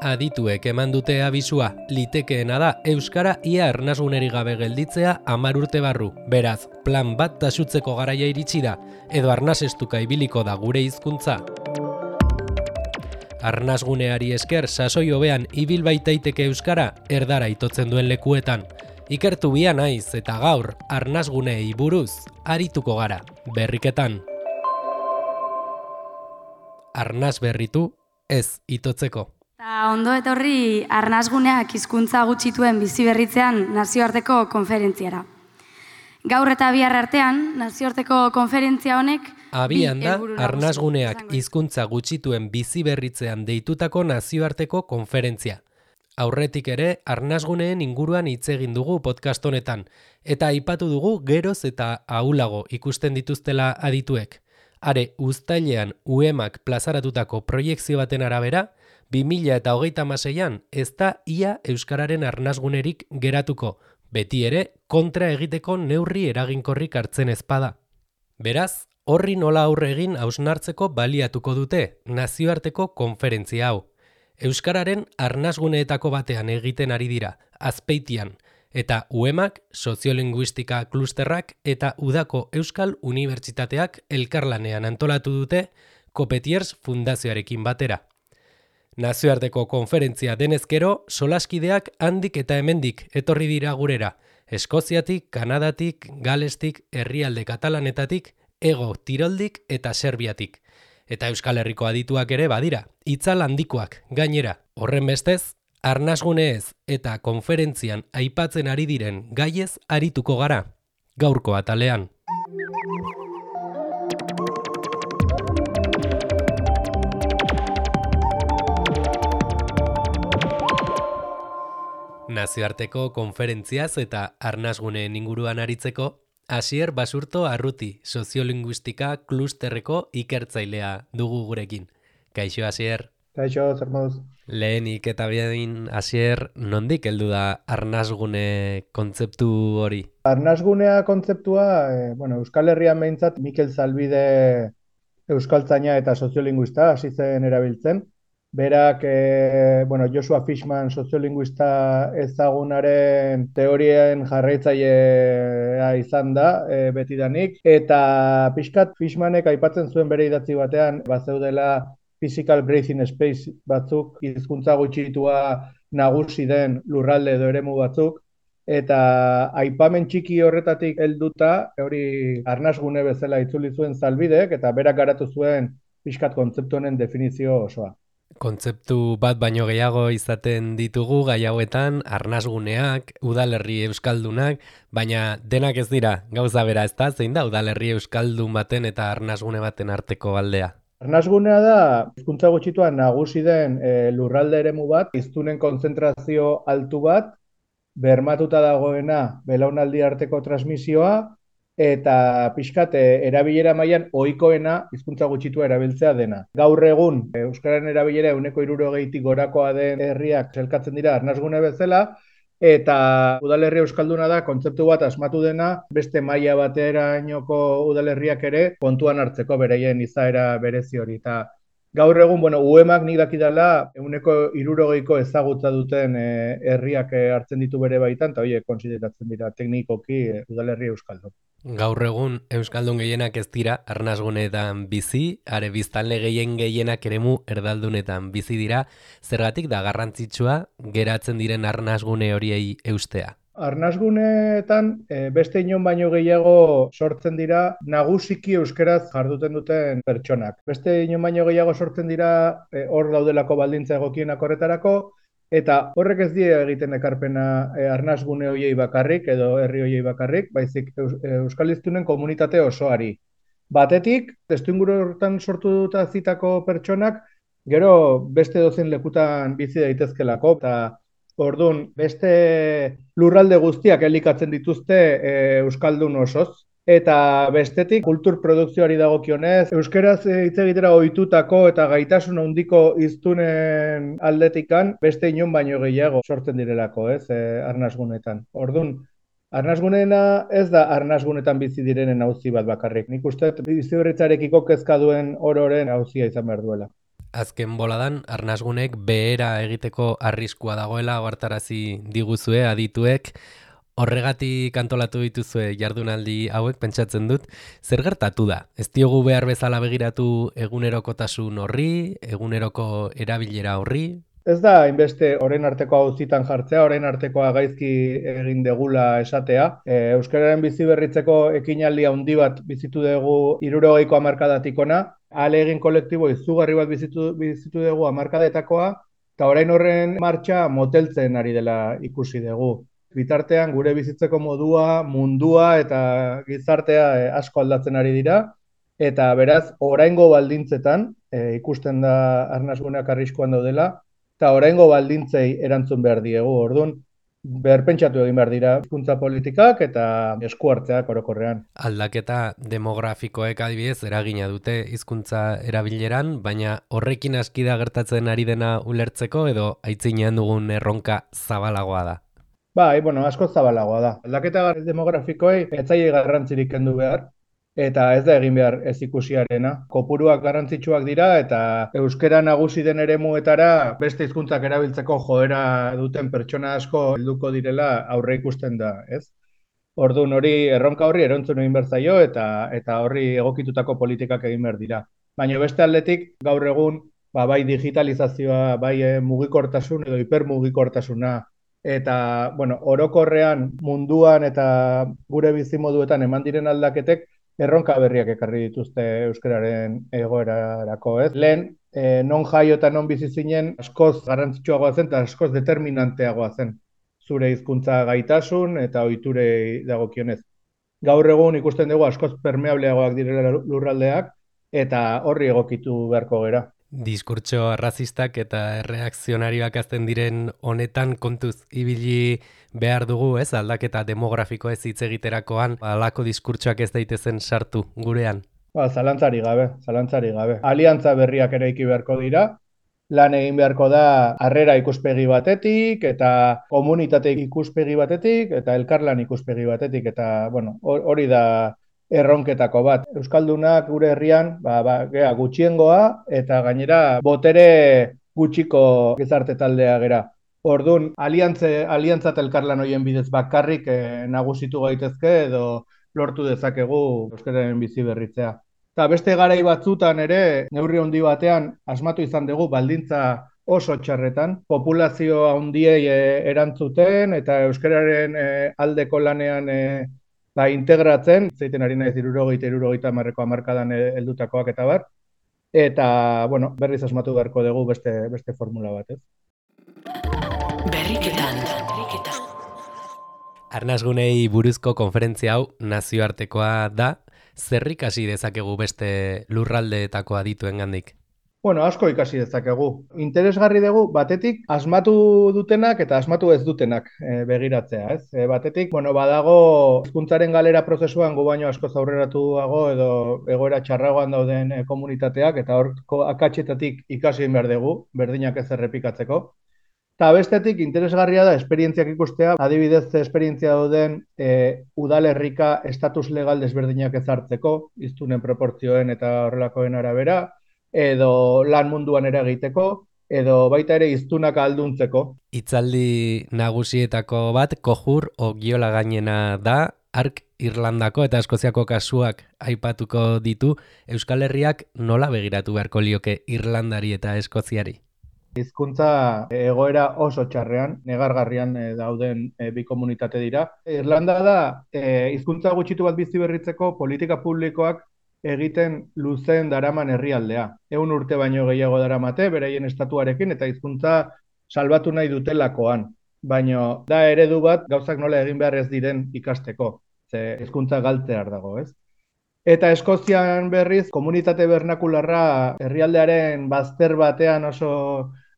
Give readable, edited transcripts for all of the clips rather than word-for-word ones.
Adituek eman dute abisua, litekeena da euskara ia arnasgunerik gabe gelditzea 10 urte barru. Beraz, plan bat taxutzeko garaia iritsi da, edo arnasestuka ibiliko da gure hizkuntza. Arnasguneari esker sasoi hobean ibil baitaiteke euskara erdara itotzen duen lekuetan. Ikertu bia naiz eta gaur arnasguneei buruz arituko gara, berriketan. Arnas berritu ez itotzeko. Ondo etorri arnasguneak hizkuntza gutxituen bizi berritzean nazioarteko konferentziara. Gaur eta bihar artean nazioarteko konferentzia honek abian da arnasguneak hizkuntza gutxituen bizi berritzean deitutako nazioarteko konferentzia. Aurretik ere arnasguneen inguruan hitz egin dugu podcast honetan eta aipatu dugu geroz eta ahulago ikusten dituztela adituek. Are uztailean UEMak plazaratutako proiekzio baten arabera 2026an ez da ia euskararen arnasgunerik geratuko, beti ere kontra egiteko neurri eraginkorrik hartzen ezpada. Beraz, horri nola aurre egin hausnartzeko baliatuko dute nazioarteko konferentzia hau. Euskararen arnasguneetako batean egiten ari dira, Azpeitian, eta UEMak, soziolinguistika klusterrak eta Udako Euskal Unibertsitateak elkarlanean antolatu dute Copetiers Fundazioarekin batera. Nazioarteko konferentzia denezkero, solaskideak handik eta hemendik etorri dira gurera, Eskoziatik, Kanadatik, Galestik, herrialde katalanetatik, Ego Tiroldik eta Serbiatik. Eta Euskal Herriko adituak ere badira, itzal handikoak gainera. Horren bestez, arnasguneez eta konferentzian aipatzen ari diren gaiez arituko gara, gaurko atalean. Nazioarteko konferentziaz eta arnasguneen inguruan aritzeko, Asier Basurto Arruti, soziolinguistika klusterreko ikertzailea dugu gurekin. Kaixo, Asier. Kaixo, zer moduz? Lehenik eta behin, Asier, nondik heldu da arnasgune kontzeptu hori? Arnasgunea kontzeptua, Euskal Herrian behintzat Mikel Zalbide euskaltzaina eta soziolinguista hasi zen erabiltzen. Berak, Joshua Fishman soziolinguista ezagunaren teorien jarraitzailea izan da betidanik. Eta pixkat Fishmanek aipatzen zuen bere idatzi batean, bazeudela physical breathing space batzuk, hizkuntza gutxitua nagusi den lurralde edo eremu batzuk, eta aipamen txiki horretatik helduta, hori arnasgune bezala itzuli zuen Zalbidek, eta berak garatu zuen pixkat kontzeptu honen definizio osoa. Kontzeptu bat baino gehiago izaten ditugu gai hauetan, arnasguneak, udalerri euskaldunak, baina denak ez dira gauza bera, ezta? Zein da udalerri euskaldun baten eta arnasgune baten arteko aldea? Arnasgunea da, hizkuntza gutxitua nagusi den lurralde eremu bat, hiztunen kontzentrazio altu bat, bermatuta dagoena belaunaldi arteko transmisioa, eta pixkat erabilera mailan ohikoena hizkuntza gutxitua erabiltzea dena. Gaur egun, euskararen erabilera 60%tik gorakoa den herriak elkartzen dira arnasgune bezala, eta udalerri euskalduna da kontzeptu bat asmatu dena, beste maila baterainoko udalerriak ere kontuan hartzeko beraien izaera berezi hori. Eta gaur egun, UEMak nik dakidala 60%ko ezagutza duten herriak hartzen ditu bere baitan, eta horiek kontsideratzen dira teknikoki udalerri euskaldun. Gaur egun euskaldun gehienak ez dira arnasguneetan bizi, are biztanle gehienak eremu erdaldunetan bizi dira, zergatik da garrantzitsua geratzen diren arnasgune horiei eustea. Arnasguneetan beste inon baino gehiago sortzen dira nagusiki euskeraz jarduten duten pertsonak. Beste inon baino gehiago sortzen dira hor daudelako baldintza egokienak horretarako, eta horrek ez die egiten ekarpena arnasgune horiei bakarrik edo herri horiei bakarrik, baizik euskal hiztunen komunitate osoari. Batetik, testuinguru horretan sortu dut zitako pertsonak, gero beste dozen lekutan bizi daitezkelako, eta orduan beste lurralde guztiak elikatzen dituzte euskaldun osoz. Eta bestetik, kultur produkzioari dagokionez, euskeraz hitz egitera ohitutako eta gaitasun handiko hiztunen aldetikan beste inon baino gehiago sortzen direlako, arnasgunetan. Orduan, arnasguneena ez da arnasgunetan bizi direnen auzi bat bakarrik. Nik uste biziberritzarekiko kezka duen ororen auzia izan behar duela. Azken boladan, arnasgunek behera egiteko arriskua dagoela ohartarazi diguzue adituek. Horregatik antolatu dituzue jardunaldi hauek pentsatzen dut, zer gertatu da? Ez diogu behar bezala begiratu egunerokotasun horri, eguneroko erabilera horri? Ez da hainbeste orain arteko auzitan jartzea, orain artekoa gaizki egin degula esatea. Euskararen bizi berritzeko ekinaldi handi bat bizitu dugu 60ko hamarkadatik hona, ahalegin kolektibo izugarri bat bizitu dugu hamarkadetakoa, eta orain horren martxa moteltzen ari dela ikusi dugu. Bitartean gure bizitzeko modua, mundua eta gizartea asko aldatzen ari dira, eta beraz, oraingo baldintzetan, ikusten da arnasguneak arriskuan daudela, eta oraingo baldintzei erantzun behar diegu, orduan, berpentsatu egin behar dira hizkuntza politikak eta esku hartzeak orokorrean. Aldaketa demografikoek adibidez eragina dute hizkuntza erabileran, baina horrekin aski da gertatzen ari dena ulertzeko edo aitzinean dugun erronka zabalagoa da. Bai, asko zabalagoa da. Aldaketa demografikoei ez zaie garrantzirik kendu behar, eta ez da egin behar ez ikusiarena. Kopuruak garrantzitsuak dira eta euskara nagusi den eremuetara beste hizkuntzak erabiltzeko joera duten pertsona asko helduko direla aurre ikusten da, ez? Orduan erronka horri erantzun egin behar zaio eta horri egokitutako politikak egin behar dira. Baina beste aldetik gaur egun bai digitalizazioa, bai mugikortasun edo hipermugikortasuna, eta, orokorrean munduan eta gure bizimoduetan eman diren aldaketek erronka berriak ekarri dituzte euskararen egoerarako, ez? Lehen, non jaio eta non bizi zinen askoz garrantzitsuagoa zen eta askoz determinanteagoa zen zure hizkuntza gaitasun eta ohiturei dagokionez. Gaur egun ikusten dugu askoz permeableagoak direla lurraldeak eta horri egokitu beharko gera. Diskurtso arrazistak eta erreakzionarioak azten diren honetan kontuz ibili behar dugu, ez? Aldaketa demografiko ez hitz egiterakoan, halako diskurtsoak ez daitezen sartu gurean. Zalantzari gabe. Aliantza berriak eraiki beharko dira, lan egin beharko da harrera ikuspegi batetik, eta komunitate ikuspegi batetik, eta elkarlan ikuspegi batetik, eta hori da erronketako bat. Euskaldunak gure herrian gutxiengoa eta gainera botere gutxiko gizarte taldea gera. Orduan, aliantza eta elkarlan horien bidez bakarrik nagusitu gaitezke edo lortu dezakegu euskararen bizi berritzea. Eta beste garai batzutan ere, neurri handi batean asmatu izan dugu baldintza oso txarretan, populazio handiei erantzuten eta euskararen aldeko lanean integratzen, zeiten ari naiz 60-70 hamarkadan heldutakoak eta bar, eta, berriz asmatu beharko dugu beste formula bat, ez? Berriketan. Arnasgunei buruzko konferentzia hau nazioartekoa da, zer ikasi dezakegu beste lurraldeetako adituengandik? Asko ikasi dezakegu. Interesgarri dugu, batetik, asmatu dutenak eta asmatu ez dutenak begiratzea, ez? Batetik, badago hizkuntzaren galera prozesuan gu baino asko aurreratuago edo egoera txarragoan dauden komunitateak, eta horko akatsetatik ikasi behar dugu, berdinak ez errepikatzeko. Eta bestetik, interesgarria da, esperientziak ikustea, adibidez esperientzia dauden udalerrika estatus legal desberdinak ezartzeko, hiztunen proportzioen eta horrelakoen arabera, edo lan munduan ere egiteko, edo baita ere hiztunak ahalduntzeko. Hitzaldi nagusietako bat, Kohur Ogiola gainena da, hark Irlandako eta Eskoziako kasuak aipatuko ditu, Euskal Herriak nola begiratu beharko lioke Irlandari eta Eskoziari? Hizkuntza egoera oso txarrean, negargarrian dauden bi komunitate dira. Irlanda da, hizkuntza gutxitu bat bizi berritzeko politika publikoak egiten luzen daraman herrialdea. 100 urte baino gehiago daramate, beraien estatuarekin eta hizkuntza salbatu nahi dutelakoan. Baina da eredu bat gauzak nola egin behar ez diren ikasteko. Ze hizkuntza galtzear dago, ez? Eta Eskozian berriz, komunitate bernakularra herrialdearen bazter batean oso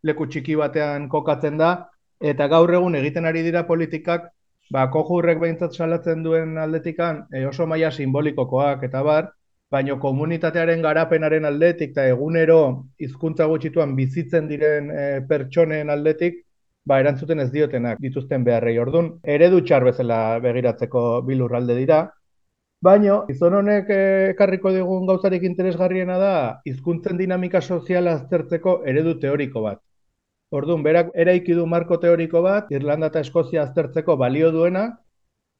leku txiki batean kokatzen da, eta gaur egun egiten ari dira politikak, Kohurrek behintzat salatzen duen aldetikan oso maila simbolikokoak eta bar, baina komunitatearen garapenaren aldetik eta egunero hizkuntza gutxituan bizitzen diren pertsonen aldetik, erantzuten ez diotenak dituzten beharrei. Orduan, eredu txar bezala begiratzeko bi lurralde dira, Baina, gizon honek ekarriko digun gauzarik interesgarriena da, hizkuntzen dinamika soziala aztertzeko eredu teoriko bat. Orduan, berak eraiki du marko teoriko bat, Irlanda eta Eskozia aztertzeko balio duena,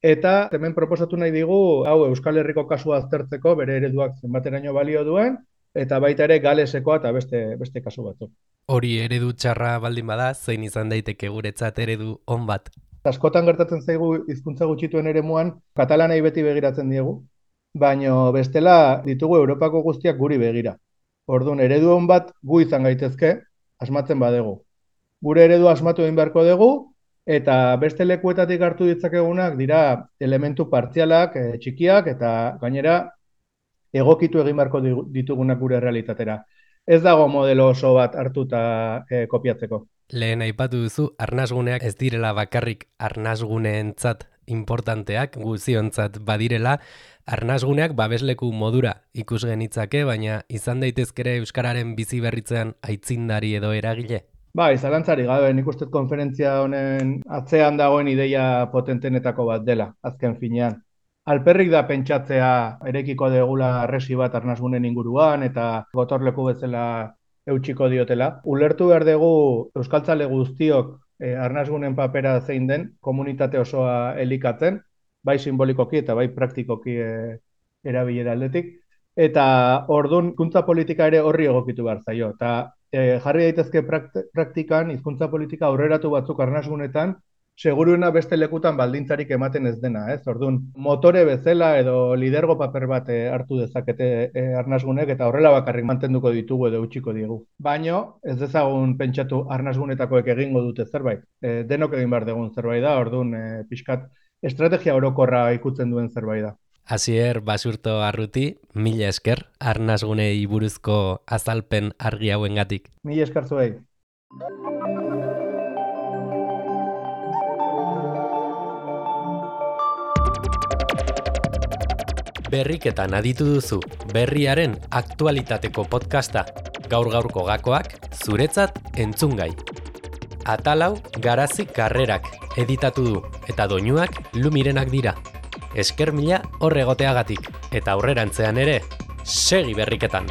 eta hemen proposatu nahi digu, hau Euskal Herriko kasua aztertzeko, bere ereduak zenbateraino balio duen, eta baita ere Galesekoa eta beste kasu batzuk. Hori eredu txarra baldin bada, zein izan daiteke guretzat eredu on bat? Askotan gertatzen zaigu hizkuntza gutxituen eremuan, katalanei beti begiratzen diegu, baino bestela ditugu Europako guztiak guri begira. Orduan, eredu on bat gu izan gaitezke, asmatzen badegu. Gure eredu asmatu egin beharko dugu, eta beste lekuetatik hartu ditzakegunak dira elementu partzialak, txikiak, eta gainera egokitu egin beharko ditugunak gure realitatera. Ez dago modelo oso bat hartuta kopiatzeko. Lehen aipatu duzu, arnasguneak ez direla bakarrik arnasguneentzat importanteak, guziontzat badirela, arnasguneak babesleku modura ikus genitzake, baina izan daitezkere euskararen bizi berritzean aitzindari edo eragile? Bai, zalantzari gabe, nik uste konferentzia honen atzean dagoen ideia potentenetako bat dela, azken finean. Alperrik da pentsatzea erekiko degula arresi bat arnasgunen inguruan eta gotorleku bezala eutxiko diotela. Ulertu behar dugu euskaltzale guztiok arnasgunen papera zein den, komunitate osoa elikatzen, bai simbolikoki eta bai praktikoki erabilera aldetik. Eta orduan hizkuntza politika ere horri egokitu behar zaio. Eta jarri daitezke praktikan hizkuntza politika aurreratu batzuk arnasgunetan, seguruena beste lekutan baldintzarik ematen ez dena, ez? Orduan, motore bezala edo lidergo paper bat hartu dezakete arnasgunek eta horrela bakarrik mantenduko ditugu edo utziko diegu. Baino, ez dezagun pentsatu arnasgunetakoek egingo dute zerbait. Denok egin behar dugun zerbait da, orduan pixkat estrategia orokorra ikutzen duen zerbait da. Asier Basurto Arruti, mila esker arnasgunei buruzko azalpen argi hauengatik. Mila esker zuei. Berriketan aditu duzu, berriaren aktualitateko podcasta. Gaur-gaurko gakoak, zuretzat entzungai. Atalau Garazi Karrerak editatu du, eta doinuak Lumirenak dira. Esker mila horregoteagatik, eta aurrerantzean ere, segi berriketan.